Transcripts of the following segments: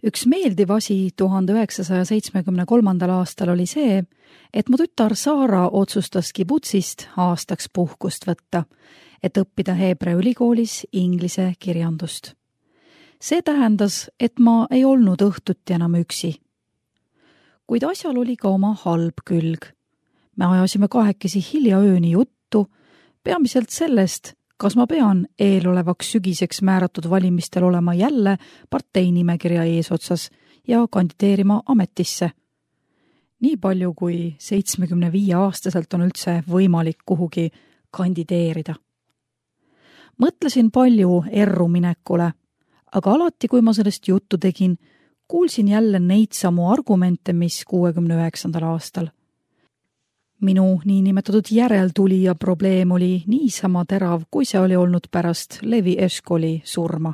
Üks meeldiv asi 1973. aastal oli see, et mu tütar Saara otsustas kibutsist aastaks puhkust võtta, et õppida Heebrea ülikoolis inglise kirjandust. See tähendas, et ma ei olnud õhtuti enam üksi. Kuid asjal oli ka oma halb külg. Me ajasime kahekesi hilja ööni juttu, peamiselt sellest, kas ma pean eelolevaks sügiseks määratud valimistel olema jälle parteinimekirja eesotsas ja kandideerima ametisse. Nii palju kui 75-aastaselt on üldse võimalik kuhugi kandideerida. Mõtlesin palju erruminekule, aga alati, kui ma sellest juttu tegin, kuulsin jälle neid samu argumente, mis 69. aastal. Minu niinimetatud järeltulija probleem oli niisama terav, kui see oli olnud pärast Levi Eshkoli surma.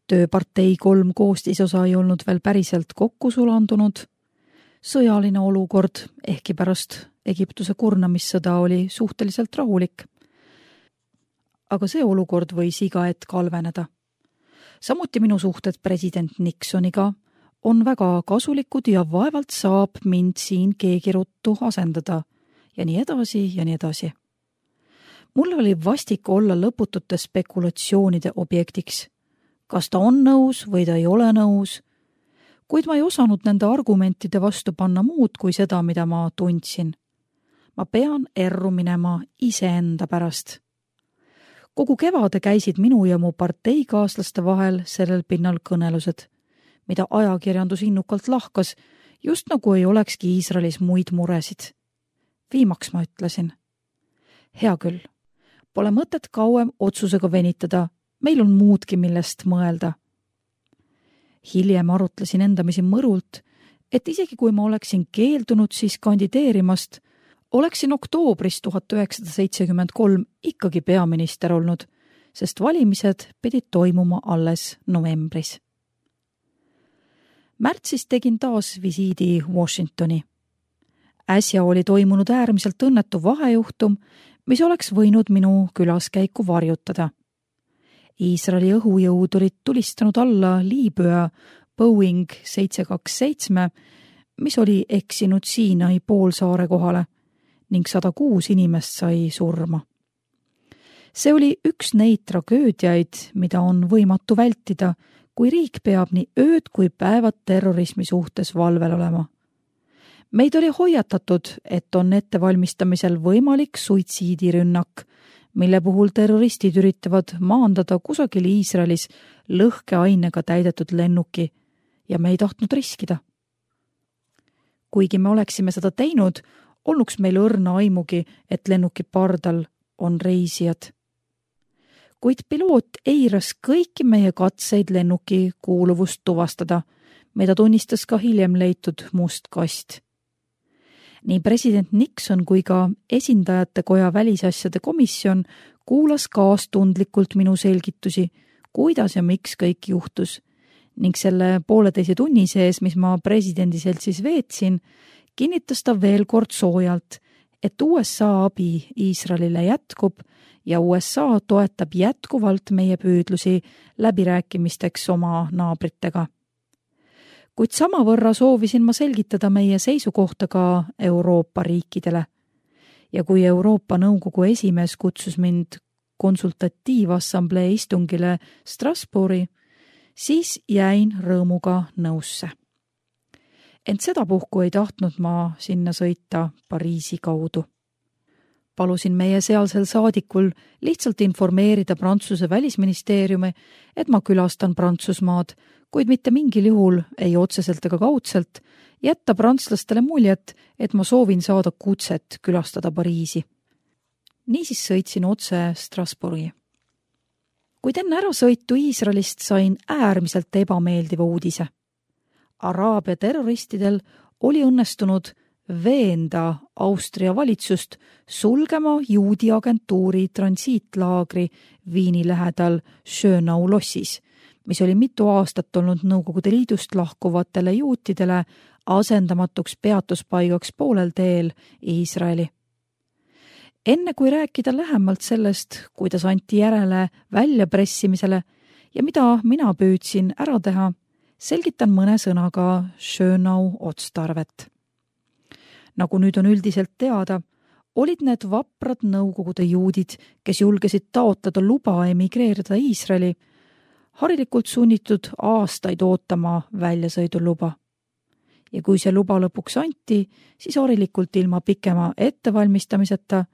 Tööpartei 3 koostisosa ei olnud veel päriselt kokku sulandunud. Sõjaline olukord, ehkki pärast Egiptuse kurnamissõda oli suhteliselt rahulik. Aga see olukord võis iga hetk halveneda. Samuti minu suhted president Nixoniga on väga kasulikud ja vaevalt saab mind siin keegi ruttu asendada ja nii edasi ja nii edasi. Mul oli vastik olla lõputute spekulatsioonide objektiks. Kas ta on nõus või ta ei ole nõus, kuid ma ei osanud nende argumentide vastu panna muud kui seda, mida ma tundsin. Ma pean erru minema iseenda pärast. Kogu kevade käisid minu ja mu parteikaaslaste vahel sellel pinnal kõnelused, mida ajakirjandus innukalt lahkas, just nagu ei olekski Iisraelis muid muresid. Viimaks ma ütlesin. Hea küll, pole mõtet kauem otsusega venitada, meil on muudki, millest mõelda. Hiljem arutlesin endamisi mõrult, et isegi kui ma oleksin keeldunud siis kandideerimast, oleksin oktoobris 1973 ikkagi peaminister olnud, sest valimised pidid toimuma alles novembris. Märtsis tegin taas visiidi Washingtoni. Äsja oli toimunud äärmiselt õnnetu vahejuhtum, mis oleks võinud minu külaskäiku varjutada. Iisraeli õhujõud olid tulistanud alla Liibüa Boeing 727, mis oli eksinud Siinai poolsaare kohale ning 106 inimest sai surma. See oli üks neid tragöödiaid, mida on võimatu vältida, kui riik peab nii ööd kui päevad terrorismi suhtes valvel olema. Meid oli hoiatatud, et on ettevalmistamisel võimalik suitsiidirünnak, mille puhul terroristid üritavad maandada kusagil Iisraelis lõhkeainega täidetud lennuki ja me ei tahtnud riskida. Kuigi me oleksime seda teinud, olnuks meil õrna aimugi, et lennuki pardal on reisijad. Kuid piloot eiras kõiki meie katseid lennuki kuuluvust tuvastada, mida tunnistas ka hiljem leitud must kast. Nii president Nixon kui ka esindajate koja välisasjade komisjon kuulas kaastundlikult minu selgitusi, kuidas ja miks kõik juhtus, ning selle 1,5 tunni sees, mis ma presidendi seltsis veetsin, kinnitas ta veel kord soojalt, et USA abi Iisraelile jätkub ja USA toetab jätkuvalt meie püüdlusi läbirääkimisteks oma naabritega. Kuid samavõrra soovisin ma selgitada meie seisukohta ka Euroopa riikidele. Ja kui Euroopa Nõukogu esimees kutsus mind konsultatiivassamblee istungile Strasbourgi, siis jäin rõõmuga nõusse. Ent sedapuhku ei tahtnud ma sinna sõita Pariisi kaudu. Palusin meie sealsel saadikul lihtsalt informeerida Prantsuse välisministeeriumi, et ma külastan Prantsusmaad, kuid mitte mingil juhul, ei otseselt ega kaudselt, jätta prantslastele muljet, et ma soovin saada kutset külastada Pariisi. Niisiis sõitsin otse Strasbourgi. Kuid enne ärasõitu Iisraelist sain äärmiselt ebameeldiva uudise. Araabia terroristidel oli õnnestunud veenda Austria valitsust sulgema juudi agentuuri transiitlaagri Viini lähedal Schönau lossis, mis oli mitu aastat olnud Nõukogude Liidust lahkuvatele juutidele asendamatuks peatuspaigaks poolel teel Iisraeli. Enne kui rääkida lähemalt sellest, kuidas anti järele väljapressimisele ja mida mina püüdsin ära teha, selgitan mõne sõnaga Schönau otstarvet. Nagu nüüd on üldiselt teada, olid need vaprad Nõukogude juudid, kes julgesid taotleda luba emigreerida Iisraeli, harilikult sunnitud aastaid ootama väljasõiduluba. Ja kui see luba lõpuks anti, siis harilikult ilma pikema ettevalmistamiseta,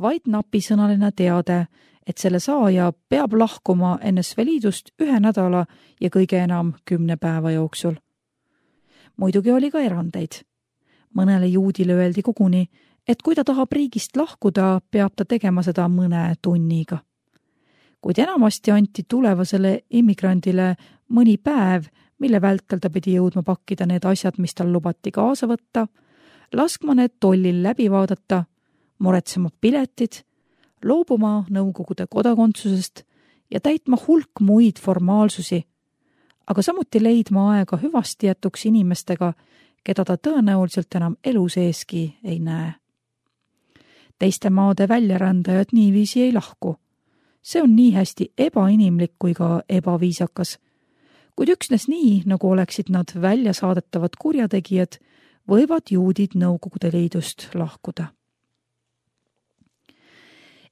vaid napisõnaline teade, et selle saaja peab lahkuma NSV Liidust 1 nädala ja kõige enam 10 päeva jooksul. Muidugi oli ka erandeid. Mõnele juudile öeldi koguni, et kui ta tahab riigist lahkuda, peab ta tegema seda mõne tunniga. Kuid enamasti anti tulevasele immigrandile mõni päev, mille vältel ta pidi jõudma pakkida need asjad, mis tal lubati kaasa võtta, laskma need tollil läbi vaadata, muretsema piletid, loobuma Nõukogude kodakondsusest ja täitma hulk muid formaalsusi, aga samuti leidma aega hüvastijätuks inimestega, keda ta tõenäoliselt enam elu seeski ei näe. Teiste maade väljarändajad niiviisi ei lahku. See on nii hästi ebainimlik kui ka ebaviisakas, kuid üksnes nii, nagu oleksid nad väljasaadetavad kurjategijad, võivad juudid Nõukogude Liidust lahkuda.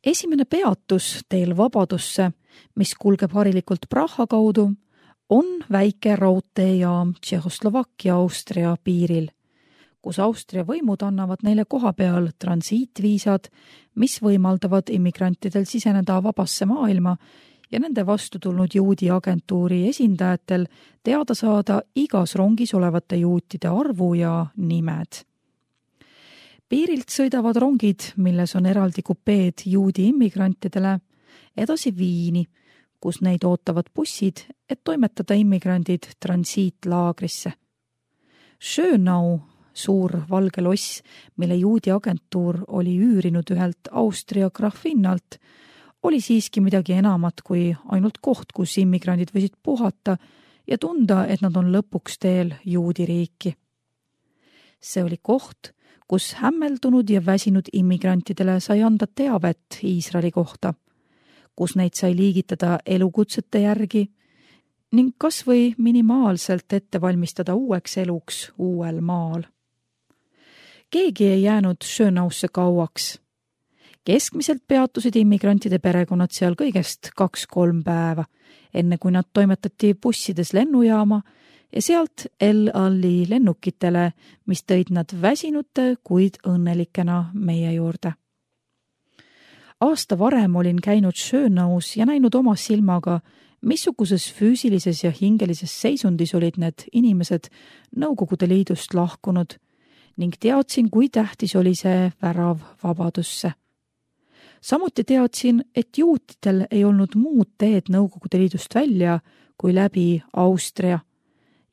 Esimene peatus teel vabadusse, mis kulgeb harilikult Praha kaudu, on väike raudteejaam Tšehhoslovakkia-Austria piiril, kus Austria võimud annavad neile koha peal transiitviisad, mis võimaldavad immigrantidel siseneda vabasse maailma ja nende vastu tulnud juudi agentuuri esindajatel teada saada igas rongis olevate juutide arvu ja nimed. Piirilt sõidavad rongid, milles on eraldi kupeed juudi immigrantidele, edasi Viini, kus neid ootavad bussid, et toimetada immigrandid transiitlaagrisse. Schönau, suur valge loss, mille juudi agentuur oli üürinud ühelt Austria graafinnalt, oli siiski midagi enamat kui ainult koht, kus immigrandid võisid puhata ja tunda, et nad on lõpuks teel juudi riiki. See oli koht, kus hämmeldunud ja väsinud immigrantidele sai anda teavet Iisraeli kohta, kus neid sai liigitada elukutsete järgi ning kas või minimaalselt ette valmistada uueks eluks uuel maal. Keegi ei jäänud Schönausse kauaks. Keskmiselt peatusid immigrantide perekonnad seal kõigest 2-3 päeva, enne kui nad toimetati bussides lennujaama ja sealt El Alli lennukitele, mis tõid nad väsinute, kuid õnnelikena meie juurde. Aasta varem olin käinud Schönaus ja näinud oma silmaga, missuguses füüsilises ja hingelises seisundis olid need inimesed Nõukogude Liidust lahkunud ning teadsin, kui tähtis oli see värav vabadusse. Samuti teadsin, et juutidel ei olnud muud teed Nõukogude Liidust välja kui läbi Austria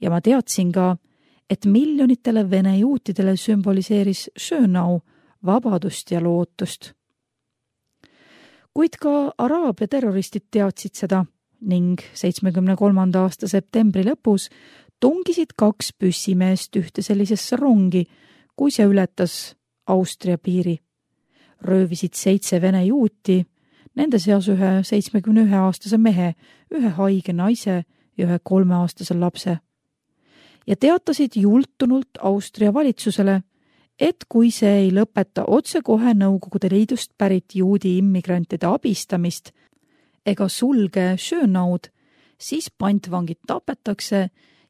ja ma teadsin ka, et miljonitele vene juutidele sümboliseeris Schönau vabadust ja lootust. Kuid ka araabia terroristid teadsid seda ning 73. aasta septembri lõpus tungisid 2 püssimeest ühte sellisesse rongi, kui see ületas Austria piiri. Röövisid 7 vene juuti, nende seas ühe 71-aastase mehe, ühe haige naise ja ühe 3-aastase lapse. Ja teatasid jultunult Austria valitsusele, et kui see ei lõpeta otsekohe Nõukogude Liidust pärit juudi immigrantide abistamist ega sulge Schönaud, siis pantvangid tapetakse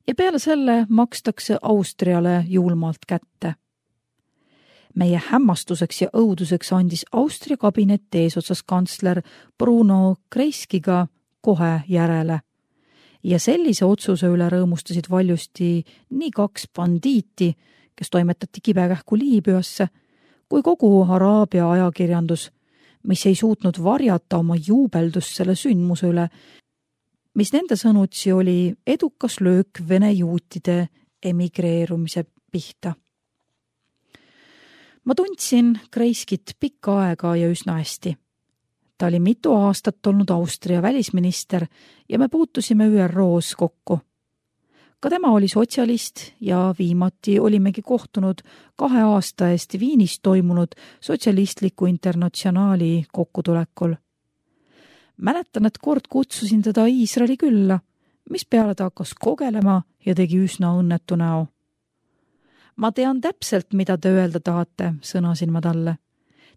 ja peale selle makstakse Austriale julmalt kätte. Meie hämmastuseks ja õuduseks andis Austria kabinet eesotsas kantsler Bruno Kreiskiga kohe järele. Ja sellise otsuse üle rõõmustasid valjusti nii 2 bandiiti, kes toimetati kibekähku Liibüasse, kui kogu araabia ajakirjandus, mis ei suutnud varjata oma juubeldust selle sündmuse üle, mis nende sõnutsi oli edukas löök vene juutide emigreerumise pihta. Ma tundsin Kreiskit pikka aega ja üsna hästi. Ta oli mitu aastat olnud Austria välisminister ja me puutusime ÜROs kokku. Ka tema oli sotsialist ja viimati olimegi kohtunud 2 aasta eest Viinis toimunud sotsialistliku internatsionaali kokkutulekul. Mäletan, et kord kutsusin teda Iisraeli külla, mispeale ta hakkas kogelema ja tegi üsna õnnetu näo. Ma tean täpselt, mida te öelda tahate, sõnasin ma talle.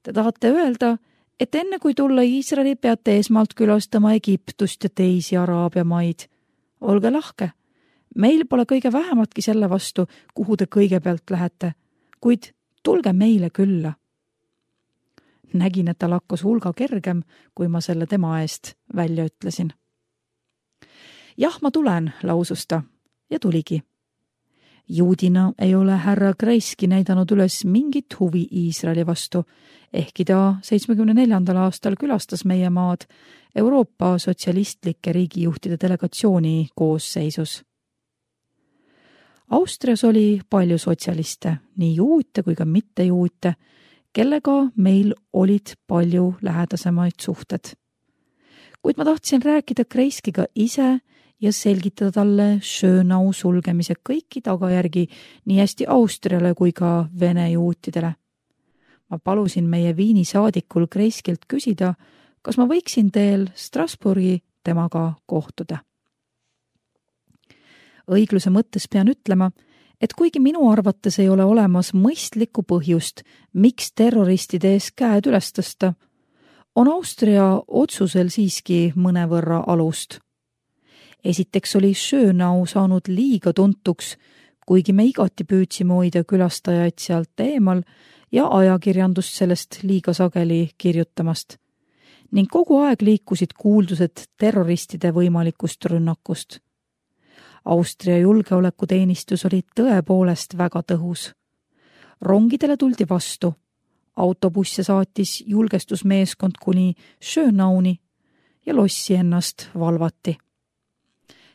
Te tahate öelda, et enne kui tulla Iisraeli, peate esmalt külastama Egiptust ja teisi Araabia maid. Olge lahke. Meil pole kõige vähematki selle vastu, kuhu te kõigepealt lähete, kuid tulge meile külla. Nägin, et tal hakkas hulga kergem, kui ma selle tema eest välja ütlesin. Jah, ma tulen, lausus ta ja tuligi. Juudina ei ole härra Kreiski näidanud üles mingit huvi Iisraeli vastu, ehkki ta 74. aastal külastas meie maad Euroopa sotsialistlike riigijuhtide delegatsiooni koosseisus. Austrias oli palju sotsialiste, nii juute kui ka mittejuute, kellega meil olid palju lähedasemaid suhted. Kuid ma tahtsin rääkida Kreiskiga ise ja selgitada talle Schönau sulgemise kõiki tagajärgi nii hästi Austriale kui ka Vene juutidele. Ma palusin meie Viini saadikul Kreiskilt küsida, kas ma võiksin teel Strasbourgi temaga kohtuda. Õigluse mõttes pean ütlema, et kuigi minu arvates ei ole olemas mõistlikku põhjust, miks terroristide ees käed üles tõsta, on Austria otsusel siiski mõnevõrra alust. Esiteks oli Schönau saanud liiga tuntuks, kuigi me igati püüdsime hoida külastajaid sealt eemal ja ajakirjandust sellest liiga sageli kirjutamast. Ning kogu aeg liikusid kuuldused terroristide võimalikust rünnakust. Austria julgeolekuteenistus oli tõepoolest väga tõhus. Rongidele tuldi vastu. Autobusse saatis julgestusmeeskond kuni Schönauni ja lossi ennast valvati.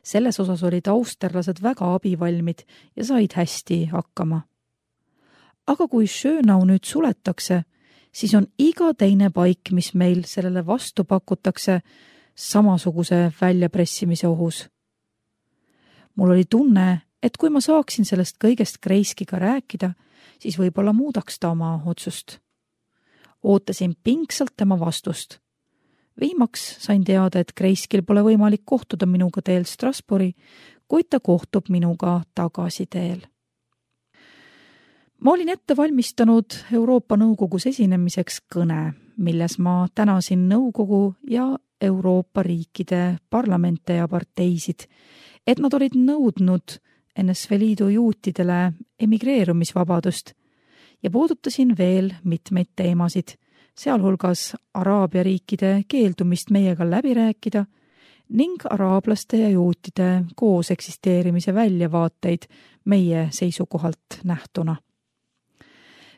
Selles osas olid austerlased väga abivalmid ja said hästi hakkama. Aga kui Schönau nüüd suletakse, siis on iga teine paik, mis meil sellele vastu pakutakse, samasuguse väljapressimise ohus. Mul oli tunne, et kui ma saaksin sellest kõigest Kreiskiga rääkida, siis võib-olla muudaks ta oma otsust. Ootasin pingsalt tema vastust. Viimaks sain teada, et Kreiskil pole võimalik kohtuda minuga teel Strasbourgi, kuid ta kohtub minuga tagasi teel. Ma olin ette valmistanud Euroopa Nõukogus esinemiseks kõne, milles ma tänasin nõukogu ja Euroopa riikide parlamente ja parteisid, et nad olid nõudnud NSV Liidu juutidele emigreerumisvabadust ja puudutasin veel mitmeid teemasid, sealhulgas Araabia riikide keeldumist meiega läbi rääkida ning araablaste ja juutide koos eksisteerimise väljavaateid meie seisukohalt nähtuna.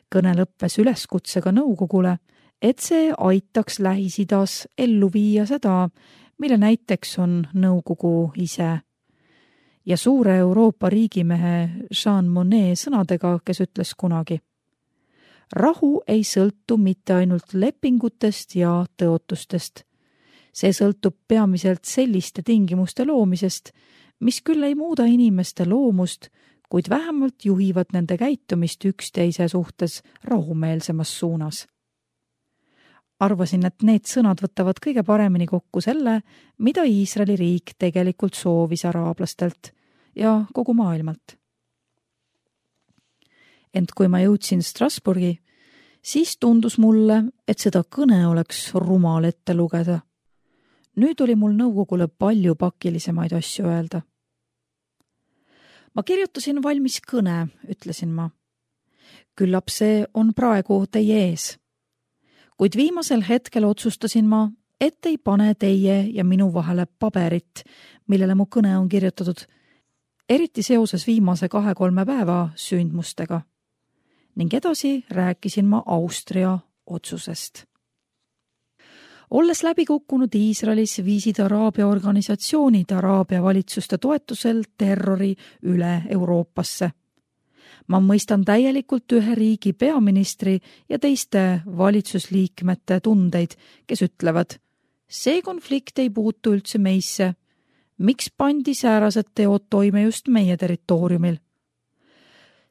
Kõne lõppes üleskutsega nõukogule, et see aitaks Lähis-Idas ellu viia seda, mille näiteks on nõukogu ise. Ja suure Euroopa riigimehe Jean Monnet sõnadega, kes ütles kunagi: rahu ei sõltu mitte ainult lepingutest ja tõotustest. See sõltub peamiselt selliste tingimuste loomisest, mis küll ei muuda inimeste loomust, kuid vähemalt juhivad nende käitumist üksteise suhtes rahumeelsemas suunas. Arvasin, et need sõnad võtavad kõige paremini kokku selle, mida Iisraeli riik tegelikult soovis araablastelt ja kogu maailmalt. Ent kui ma jõudsin Strasbourgi, siis tundus mulle, et seda kõne oleks rumal ette lugeda. Nüüd oli mul nõukogule palju pakilisemaid asju öelda. Ma kirjutasin valmis kõne, ütlesin ma. Küllap see on praegu teie ees. Kuid viimasel hetkel otsustasin ma, et ei pane teie ja minu vahele paberit, millele mu kõne on kirjutatud, eriti seoses viimase 2-3 päeva sündmustega. Ning edasi rääkisin ma Austria otsusest. Olles läbi kukkunud Iisraelis, viisid Araabia organisatsioonid Araabia valitsuste toetusel terrori üle Euroopasse. Ma mõistan täielikult ühe riigi peaministri ja teiste valitsusliikmete tundeid, kes ütlevad: see konflikt ei puutu üldse meisse. Miks pandi säärased teod toime just meie territooriumil?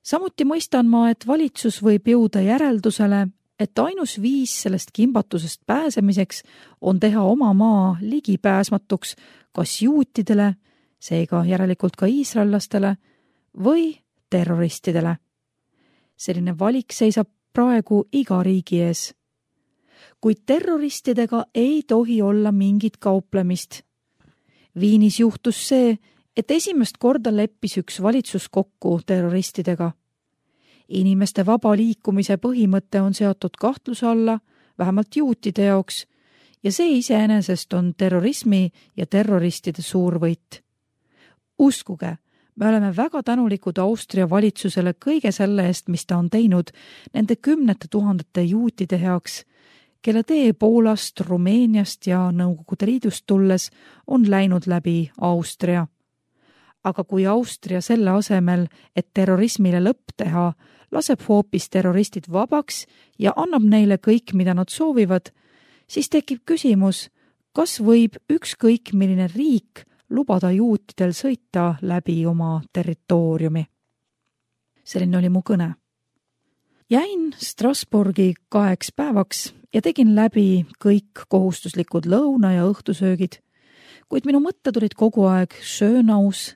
Samuti mõistan ma, et valitsus võib jõuda järeldusele, et ainus viis sellest kimbatusest pääsemiseks on teha oma maa ligipääsmatuks kas juutidele, seega järelikult ka iisraellastele või terroristidele. Selline valik seisab praegu iga riigi ees. Kuid terroristidega ei tohi olla mingit kauplemist. Viinis juhtus see, et esimest korda leppis üks valitsus kokku terroristidega. Inimeste vaba liikumise põhimõte on seatud kahtluse alla, vähemalt juutide jaoks, ja see iseenesest on terrorismi ja terroristide suur võit. Uskuge, me oleme väga tänulikud Austria valitsusele kõige selle eest, mis ta on teinud nende 10 000 juutide heaks, kelle tee Poolast, Rumeeniast ja Nõukogude Liidust tulles on läinud läbi Austria. Aga kui Austria selle asemel, et terrorismile lõpp teha, laseb hoopis terroristid vabaks ja annab neile kõik, mida nad soovivad, siis tekib küsimus, kas võib ükskõik milline riik lubada juutidel sõita läbi oma territooriumi. Selline oli mu kõne. Jäin Strasbourgi 2 päevaks ja tegin läbi kõik kohustuslikud lõuna- ja õhtusöögid, kuid minu mõtted olid kogu aeg Schönaus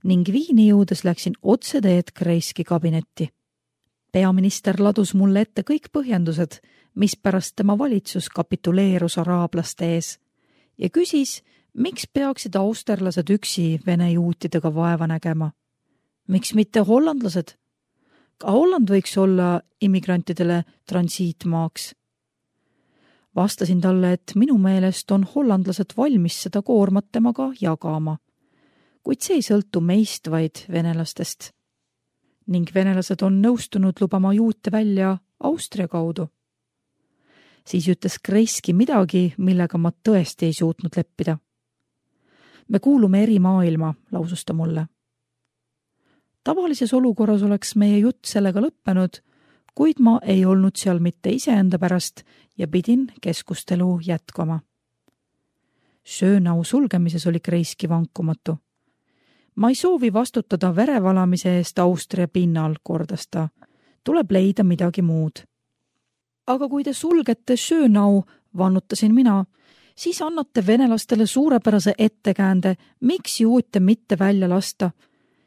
ning Viini jõudes läksin otseteed Kreiski kabinetti. Peaminister ladus mulle ette kõik põhjendused, mispärast tema valitsus kapituleerus araablaste ees ja küsis, miks peaksid austerlased üksi vene juutidega vaeva nägema. Miks mitte hollandlased? Ka Holland võiks olla immigrantidele transiitmaaks. Vastasin talle, et minu meelest on hollandlased valmis seda koormat temaga jagama, kuid see ei sõltu meist, vaid venelastest. Ning venelased on nõustunud lubama juute välja Austria kaudu. Siis ütles Kreiski midagi, millega ma tõesti ei suutnud leppida. Me kuulume eri maailma, lausus ta mulle. Tavalises olukorras oleks meie jutt sellega lõppenud, kuid ma ei olnud seal mitte iseenda pärast ja pidin keskustelu jätkama. Schönau sulgemises oli Kreiski vankumatu. Ma ei soovi vastutada verevalamise eest Austria pinnal, kordas ta. Tuleb leida midagi muud. Aga kui te sulgete Schönau, vannutasin mina, siis annate venelastele suurepärase ettekäände, miks juute mitte välja lasta,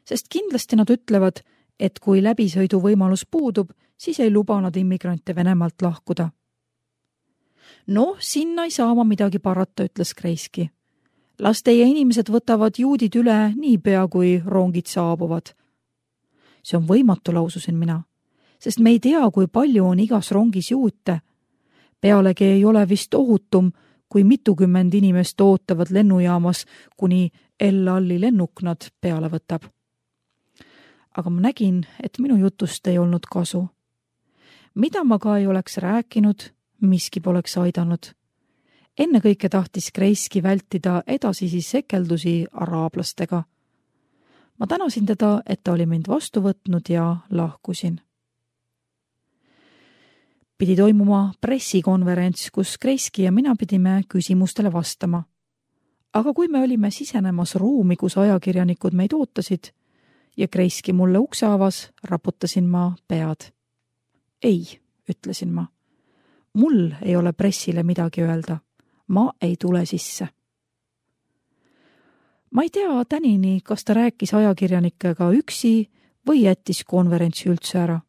sest kindlasti nad ütlevad, et kui läbisõidu võimalus puudub, siis ei luba nad immigrante Venemaalt lahkuda. No, sinna ei saa ma midagi parata, ütles Kreiski. Las teie inimesed võtavad juudid üle niipea, kui rongid saabuvad. See on võimatu, laususin mina, sest me ei tea, kui palju on igas rongis juute. Pealegi ei ole vist ohutum, kui mitukümmend inimest ootavad lennujaamas, kuni El-Alli lennuk nad peale võtab. Aga ma nägin, et minu jutust ei olnud kasu. Mida ma ka ei oleks rääkinud, miski poleks aidanud. Ennekõike tahtis Kreiski vältida edasisi sekeldusi araablastega. Ma tänasin teda, et ta oli mind vastu võtnud ja lahkusin. Pidi toimuma pressikonverents, kus Kreiski ja mina pidime küsimustele vastama. Aga kui me olime sisenemas ruumi, kus ajakirjanikud meid ootasid ja Kreiski mulle ukse avas, raputasin ma pead. Ei, ütlesin ma. Mul ei ole pressile midagi öelda. Ma ei tule sisse. Ma ei tea tänini, kas ta rääkis ajakirjanikega üksi või jättis konverentsi üldse ära.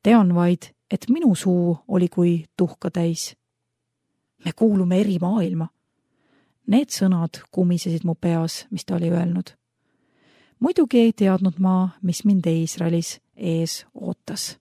Tean vaid, et minu suu oli kui tuhka täis. Me kuulume eri maailma. Need sõnad kumisesid mu peas, mis ta oli öelnud. Muidugi ei teadnud ma, mis mind Iisraelis ees ootas.